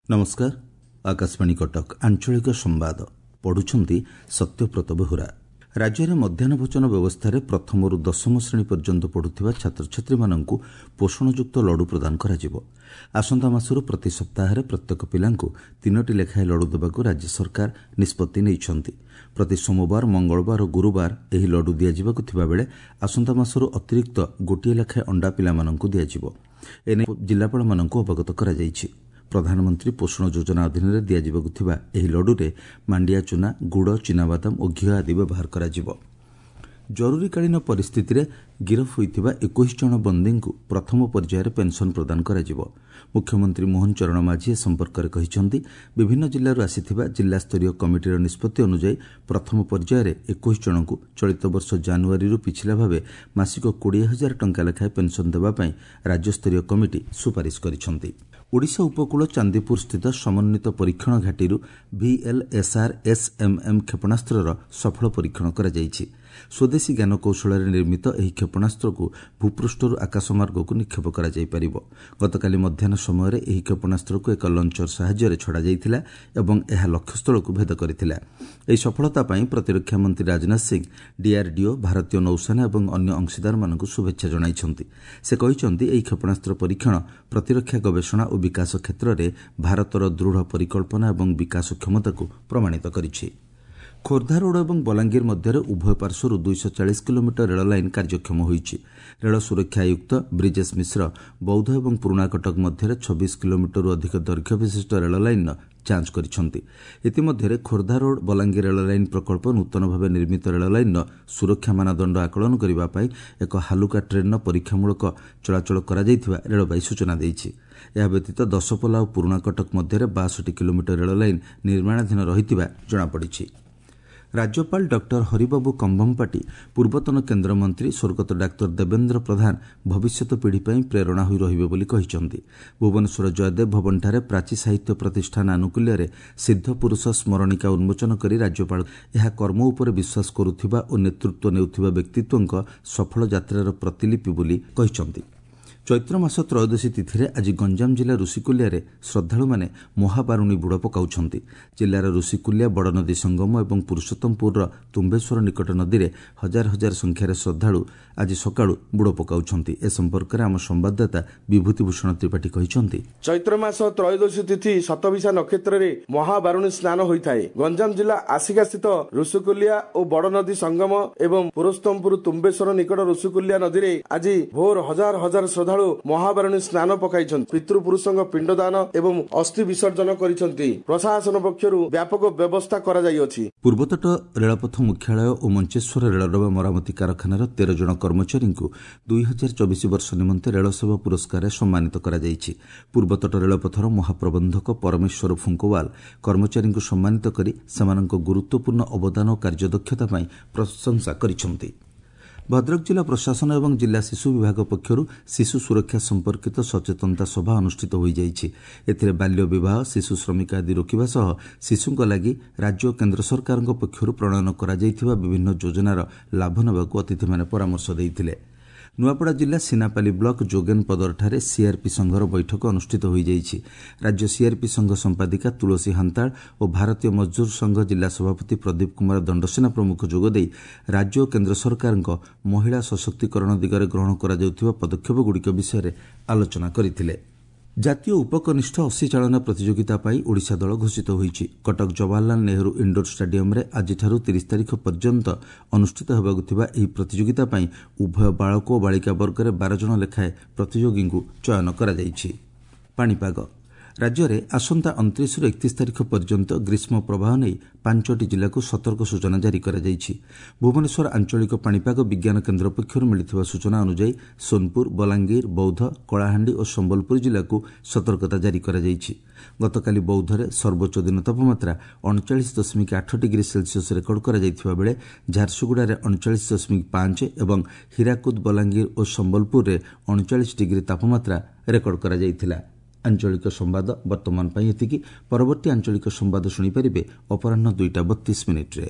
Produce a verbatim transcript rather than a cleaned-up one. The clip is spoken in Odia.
ନମସ୍କାର, ଆକାଶବାଣୀ କଟକ, ଆଞ୍ଚଳିକ ସମ୍ବାଦ ପଢୁଛନ୍ତି ସତ୍ୟବ୍ରତ ବେହୁରା। ରାଜ୍ୟରେ ମଧ୍ୟାହ୍ନ ଭୋଜନ ବ୍ୟବସ୍ଥାରେ ପ୍ରଥମରୁ ଦଶମ ଶ୍ରେଣୀ ପର୍ଯ୍ୟନ୍ତ ପଢୁଥିବା ଛାତ୍ରଛାତ୍ରୀମାନଙ୍କୁ ପୋଷଣଯୁକ୍ତ ଲଡୁ ପ୍ରଦାନ କରାଯିବ। ଆସନ୍ତା ମାସରୁ ପ୍ରତି ସପ୍ତାହରେ ପ୍ରତ୍ୟେକ ପିଲାଙ୍କୁ ତିନୋଟି ଲେଖାଏଁ ଲଡୁ ଦେବାକୁ ରାଜ୍ୟ ସରକାର ନିଷ୍ପତ୍ତି ନେଇଛନ୍ତି। ପ୍ରତି ସୋମବାର, ମଙ୍ଗଳବାର ଓ ଗୁରୁବାର ଏହି ଲଡୁ ଦିଆଯିବାକୁ ଥିବାବେଳେ ଆସନ୍ତା ମାସରୁ ଅତିରିକ୍ତ ଗୋଟିଏ ଲେଖାଏଁ ଅଣ୍ଡା ପିଲାମାନଙ୍କୁ ଦିଆଯିବ। ଏନେଇ ଜିଲ୍ଲାପାଳମାନଙ୍କୁ ଅବଗତ କରାଯାଇଛି। ପ୍ରଧାନମନ୍ତ୍ରୀ ପୋଷଣ ଯୋଜନା ଅଧୀନରେ ଦିଆଯିବାକୁ ଥିବା ଏହି ଲଡୁରେ ମାଣ୍ଡିଆ ଚୁନା, ଗୁଡ଼, ଚିନାବାଦାମ ଓ ଘିଅ ଆଦି ବ୍ୟବହାର କରାଯିବ। ଜରୁରୀକାଳୀନ ପରିସ୍ଥିତିରେ ଗିରଫ ହୋଇଥିବା ଏକୋଇଶ ଜଣ ବନ୍ଦୀଙ୍କୁ ପ୍ରଥମ ପର୍ଯ୍ୟାୟରେ ପେନ୍ସନ୍ ପ୍ରଦାନ କରାଯିବ। ମୁଖ୍ୟମନ୍ତ୍ରୀ ମୋହନ ଚରଣ ମାଝୀ ଏ ସମ୍ପର୍କରେ କହିଛନ୍ତି, ବିଭିନ୍ନ ଜିଲ୍ଲାରୁ ଆସିଥିବା ଜିଲ୍ଲାସ୍ତରୀୟ କମିଟିର ନିଷ୍ପତ୍ତି ଅନୁଯାୟୀ ପ୍ରଥମ ପର୍ଯ୍ୟାୟରେ ଏକୋଇଶ ଜଣଙ୍କୁ ଚଳିତ ବର୍ଷ ଜାନୁଆରୀରୁ ପିଛିଲା ଭାବେ ମାସିକ କୋଡ଼ିଏ ହଜାର ଟଙ୍କା ଲେଖାଏଁ ପେନ୍ସନ୍ ଦେବା ପାଇଁ ରାଜ୍ୟସ୍ତରୀୟ କମିଟି ସୁପାରିଶ କରିଛନ୍ତି। ଓଡ଼ିଶା ଉପକୂଳ ଚାନ୍ଦିପୁର ସ୍ଥିତ ସମନ୍ୱିତ ପରୀକ୍ଷଣ ଘାଟିରୁ ଭିଏଲ୍ଏସ୍ଆର୍ ଏସ୍ଏମ୍ଏମ୍ କ୍ଷେପଣାସ୍ତ୍ରର ସଫଳ ପରୀକ୍ଷଣ କରାଯାଇଛି। ସ୍ୱଦେଶୀ ଜ୍ଞାନକୌଶଳରେ ନିର୍ମିତ ଏହି କ୍ଷେପଣାସ୍ତ୍ରକୁ ଭୂପୃଷ୍ଠରୁ ଆକାଶମାର୍ଗକୁ ନିକ୍ଷେପ କରାଯାଇପାରିବ। ଗତକାଲି ମଧ୍ୟାହ୍ନ ସମୟରେ ଏହି କ୍ଷେପଣାସ୍ତ୍ରକୁ ଏକ ଲଞ୍ଚର ସାହାଯ୍ୟରେ ଛଡ଼ାଯାଇଥିଲା ଏବଂ ଏହା ଲକ୍ଷ୍ୟସ୍ଥଳକୁ ଭେଦ କରିଥିଲା। ଏହି ସଫଳତା ପାଇଁ ପ୍ରତିରକ୍ଷା ମନ୍ତ୍ରୀ ରାଜନାଥ ସିଂ ଡିଆର୍ଡିଓ, ଭାରତୀୟ ନୌସେନା ଏବଂ ଅନ୍ୟ ଅଂଶୀଦାରମାନଙ୍କୁ ଶୁଭେଚ୍ଛା ଜଣାଇଛନ୍ତି। ସେ କହିଛନ୍ତି, ଏହି କ୍ଷେପଣାସ୍ତ୍ର ପରୀକ୍ଷଣ ପ୍ରତିରକ୍ଷା ଗବେଷଣା ଓ ବିକାଶ କ୍ଷେତ୍ରରେ ଭାରତର ଦୃଢ଼ ପରିକଳ୍ପନା ଏବଂ ବିକାଶ କ୍ଷମତାକୁ ପ୍ରମାଣିତ କରିଛି। ଖୋର୍ଦ୍ଧା ରୋଡ୍ ଏବଂ ବଲାଙ୍ଗୀର ମଧ୍ୟରେ ଉଭୟ ପାର୍ଶ୍ୱରୁ ଦୁଇଶହ ଚାଳିଶ କିଲୋମିଟର ରେଳ ଲାଇନ୍ କାର୍ଯ୍ୟକ୍ଷମ ହୋଇଛି। ରେଳ ସୁରକ୍ଷା ଆୟୁକ୍ତ ବ୍ରିଜେଶ ମିଶ୍ର ବୌଦ୍ଧ ଏବଂ ପୁରୁଣାକଟକ ମଧ୍ୟରେ ଛବିଶ କିଲୋମିଟରରୁ ଅଧିକ ଦୈର୍ଘ୍ୟ ବିଶିଷ୍ଟ ରେଳ ଲାଇନ୍ର ଯାଞ୍ଚ କରିଛନ୍ତି। ଇତିମଧ୍ୟରେ ଖୋର୍ଦ୍ଧା ରୋଡ୍ ବଲାଙ୍ଗୀର ରେଳ ଲାଇନ୍ ପ୍ରକଳ୍ପ ନୂତନ ଭାବେ ନିର୍ମିତ ରେଳ ଲାଇନ୍ର ସୁରକ୍ଷା ମାନଦଣ୍ଡ ଆକଳନ କରିବା ପାଇଁ ଏକ ହାଲୁକା ଟ୍ରେନ୍ର ପରୀକ୍ଷାମୂଳକ ଚଳାଚଳ କରାଯାଇଥିବା ରେଳବାଇ ସୂଚନା ଦେଇଛି। ଏହା ବ୍ୟତୀତ ଦଶପଲ୍ଲା ଓ ପୁରୁଣାକଟକ ମଧ୍ୟରେ ବାଷଠି କିଲୋମିଟର ରେଳ ଲାଇନ୍ ନିର୍ମାଣାଧୀନ ରହିଥିବା ଜଣାପଡ଼ିଛି। ରାଜ୍ୟପାଳ ଡକ୍ଟର ହରିବାବୁ କମ୍ଭମପାଟି ପୂର୍ବତନ କେନ୍ଦ୍ରମନ୍ତ୍ରୀ ସ୍ୱର୍ଗତ ଡାକ୍ତର ଦେବେନ୍ଦ୍ର ପ୍ରଧାନ ଭବିଷ୍ୟତ ପିଢ଼ି ପାଇଁ ପ୍ରେରଣା ହୋଇ ରହିବେ ବୋଲି କହିଛନ୍ତି। ଭୁବନେଶ୍ୱର ଜୟଦେବ ଭବନଠାରେ ପ୍ରାଚୀ ସାହିତ୍ୟ ପ୍ରତିଷ୍ଠାନ ଆନୁକୂଲ୍ୟରେ ସିଦ୍ଧପୁରୁଷ ସ୍ମରଣିକା ଉନ୍ମୋଚନ କରି ରାଜ୍ୟପାଳ ଏହା କର୍ମ ଉପରେ ବିଶ୍ୱାସ କରୁଥିବା ଓ ନେତୃତ୍ୱ ନେଉଥିବା ବ୍ୟକ୍ତିତ୍ୱଙ୍କ ସଫଳ ଯାତ୍ରାର ପ୍ରତିଲିପି ବୋଲି କହିଛନ୍ତି। ଚୈତ୍ର ମାସ ତ୍ରୟୋଦଶୀ ତିଥିରେ ଆଜି ଗଞ୍ଜାମ ଜିଲ୍ଲା ଋଷିକୁଲ୍ୟାରେ ଶ୍ରଦ୍ଧାଳୁମାନେ ମହାବାରୁଣୀ ବୁଡ଼ ପକାଉଛନ୍ତି। ଜିଲ୍ଲାର ଋଷିକୁଲ୍ୟା, ବଡ଼ନଦୀ ସଙ୍ଗମ ଏବଂ ପୁରୁଷୋତ୍ତମପୁରର ତୁମ୍ବେଶ୍ୱର ନିକଟ ନଦୀରେ ହଜାର ହଜାର ସଂଖ୍ୟାରେ ଶ୍ରଦ୍ଧାଳୁ ଆଜି ସକାଳୁ ବୁଡ଼ ପକାଉଛନ୍ତି। ଏ ସମ୍ପର୍କରେ ଆମ ସମ୍ବାଦଦାତା ବିଭୂତି ଭୂଷଣ ତ୍ରିପାଠୀ କହିଛନ୍ତି, ଚୈତ୍ର ମାସ ତ୍ରୟୋଦଶୀ ତିଥି ଶତଭିଷା ନକ୍ଷତ୍ରରେ ମହାବାରୁଣୀ ସ୍ନାନ ହୋଇଥାଏ। ଗଞ୍ଜାମ ଜିଲ୍ଲା ଆସିକା ସ୍ଥିତ ଋଷିକୁଲ୍ୟା ଓ ବଡ଼ନଦୀ ସଙ୍ଗମ ଏବଂ ପୁରୁଷୋତ୍ତମପୁର ତୁମ୍ବେଶ୍ୱର ନିକଟ ଋଷିକୁଲ୍ୟା ନଦୀରେ ଆଜି ଭୋର ହଜାର ହଜାର ଶ୍ରଦ୍ଧାଳୁ ମହାବାରୁଣୀ ସ୍ନାନ ପକାଇଛନ୍ତି। ପିତୃପୁରୁଷଙ୍କ ପିଣ୍ଡଦାନ ଏବଂ ଅସ୍ଥି ବିସର୍ଜନ କରିଛନ୍ତି। ପ୍ରଶାସନ ପକ୍ଷରୁ ବ୍ୟାପକ ବ୍ୟବସ୍ଥା କରାଯାଇଅଛି। ପୂର୍ବତଟ ରେଳପଥ ମୁଖ୍ୟାଳୟ ଓ ମଞ୍ଚେଶ୍ୱର ରେଳଡବା ମରାମତି କାରଖାନାର ତେର ଜଣ କର୍ମଚାରୀଙ୍କୁ ଦୁଇ ହଜାର ଚବିଶ ବର୍ଷ ନିମନ୍ତେ ରେଳସେବା ପୁରସ୍କାରରେ ସମ୍ମାନିତ କରାଯାଇଛି। ପୂର୍ବତଟ ରେଳପଥର ମହାପ୍ରବନ୍ଧକ ପରମେଶ୍ୱର ଫୁଙ୍କୱାଲ କର୍ମଚାରୀଙ୍କୁ ସମ୍ମାନିତ କରି ସେମାନଙ୍କ ଗୁରୁତ୍ୱପୂର୍ଣ୍ଣ ଅବଦାନ ଓ କାର୍ଯ୍ୟଦକ୍ଷତା ପାଇଁ ପ୍ରଶଂସା କରିଛନ୍ତି। ଭଦ୍ରକ ଜିଲ୍ଲା ପ୍ରଶାସନ ଏବଂ ଜିଲ୍ଲା ଶିଶୁ ବିଭାଗ ପକ୍ଷରୁ ଶିଶୁ ସୁରକ୍ଷା ସମ୍ପର୍କିତ ସଚେତନତା ସଭା ଅନୁଷ୍ଠିତ ହୋଇଯାଇଛି। ଏଥିରେ ବାଲ୍ୟ ବିବାହ, ଶିଶୁ ଶ୍ରମିକ ଆଦି ରୋକିବା ସହ ଶିଶୁଙ୍କ ଲାଗି ରାଜ୍ୟ ଓ କେନ୍ଦ୍ର ସରକାରଙ୍କ ପକ୍ଷରୁ ପ୍ରଣୟନ କରାଯାଇଥିବା ବିଭିନ୍ନ ଯୋଜନାର ଲାଭ ନେବାକୁ ଅତିଥିମାନେ ପରାମର୍ଶ ଦେଇଥିଲେ। ନୂଆପଡ଼ା ଜିଲ୍ଲା ସିନାପାଲି ବ୍ଲକ ଯୋଗେନପଦରଠାରେ ସିଆର୍ପି ସଂଘର ବୈଠକ ଅନୁଷ୍ଠିତ ହୋଇଯାଇଛି। ରାଜ୍ୟ ସିଆର୍ପି ସଂଘ ସମ୍ପାଦିକା ତୁଳସୀ ହାନ୍ତାଳ ଓ ଭାରତୀୟ ମଜଦୁର ସଂଘ ଜିଲ୍ଲା ସଭାପତି ପ୍ରଦୀପ କୁମାର ଦଣ୍ଡସେନା ପ୍ରମୁଖ ଯୋଗଦେଇ ରାଜ୍ୟ ଓ କେନ୍ଦ୍ର ସରକାରଙ୍କ ମହିଳା ସଶକ୍ତିକରଣ ଦିଗରେ ଗ୍ରହଣ କରାଯାଉଥିବା ପଦକ୍ଷେପଗୁଡ଼ିକ ବିଷୟରେ ଆଲୋଚନା କରିଥିଲେ। ଜାତୀୟ ଉପକନିଷ୍ଠ ଅସି ଚାଳନା ପ୍ରତିଯୋଗିତା ପାଇଁ ଓଡ଼ିଶା ଦଳ ଘୋଷିତ ହୋଇଛି। କଟକ ଜବାହରଲାଲ ନେହେରୁ ଇଣ୍ଡୋର ଷ୍ଟାଡିୟମରେ ଆଜିଠାରୁ ତିରିଶ ତାରିଖ ପର୍ଯ୍ୟନ୍ତ ଅନୁଷ୍ଠିତ ହେବାକୁ ଥିବା ଏହି ପ୍ରତିଯୋଗିତା ପାଇଁ ଉଭୟ ବାଳକ ଓ ବାଳିକା ବର୍ଗରେ ବାର ଜଣ ଲେଖାଏଁ ପ୍ରତିଯୋଗୀଙ୍କୁ ଚୟନ କରାଯାଇଛି। ପାଣିପାଗ ରାଜ୍ୟରେ ଆସନ୍ତା ଅଣତିରିଶରୁ ଏକତିରିଶ ତାରିଖ ପର୍ଯ୍ୟନ୍ତ ଗ୍ରୀଷ୍ମ ପ୍ରବାହ ନେଇ ପାଞ୍ଚଟି ଜିଲ୍ଲାକୁ ସତର୍କ ସୂଚନା ଜାରି କରାଯାଇଛି। ଭୁବନେଶ୍ୱର ଆଞ୍ଚଳିକ ପାଣିପାଗ ବିଜ୍ଞାନ କେନ୍ଦ୍ର ପକ୍ଷରୁ ମିଳିଥିବା ସୂଚନା ଅନୁଯାୟୀ ସୋନପୁର, ବଲାଙ୍ଗୀର, ବୌଦ୍ଧ, କଳାହାଣ୍ଡି ଓ ସମ୍ବଲପୁର ଜିଲ୍ଲାକୁ ସତର୍କତା ଜାରି କରାଯାଇଛି। ଗତକାଲି ବୌଦ୍ଧରେ ସର୍ବୋଚ୍ଚ ଦିନ ତାପମାତ୍ରା ଅଣଚାଳିଶ ଦଶମିକ ଆଠ ଡିଗ୍ରୀ ସେଲସିୟସ୍ ରେକର୍ଡ କରାଯାଇଥିବା ବେଳେ ଝାରସୁଗୁଡ଼ାରେ ଅଣଚାଳିଶ ଦଶମିକ ପାଞ୍ଚ ଏବଂ ହୀରାକୁଦ, ବଲାଙ୍ଗୀର ଓ ସମ୍ବଲପୁରରେ ଅଣଚାଳିଶ ଡିଗ୍ରୀ ତାପମାତ୍ରା ରେକର୍ଡ କରାଯାଇଥିଲା। ଆଞ୍ଚଳିକ ସମ୍ବାଦ ବର୍ତ୍ତମାନ ପାଇଁ ଏତିକି। ପରବର୍ତ୍ତୀ ଆଞ୍ଚଳିକ ସମ୍ବାଦ ଶୁଣିପାରିବେ ଅପରାହ୍ନ ଦୁଇଟା ବତିଶ ମିନିଟ୍ରେ।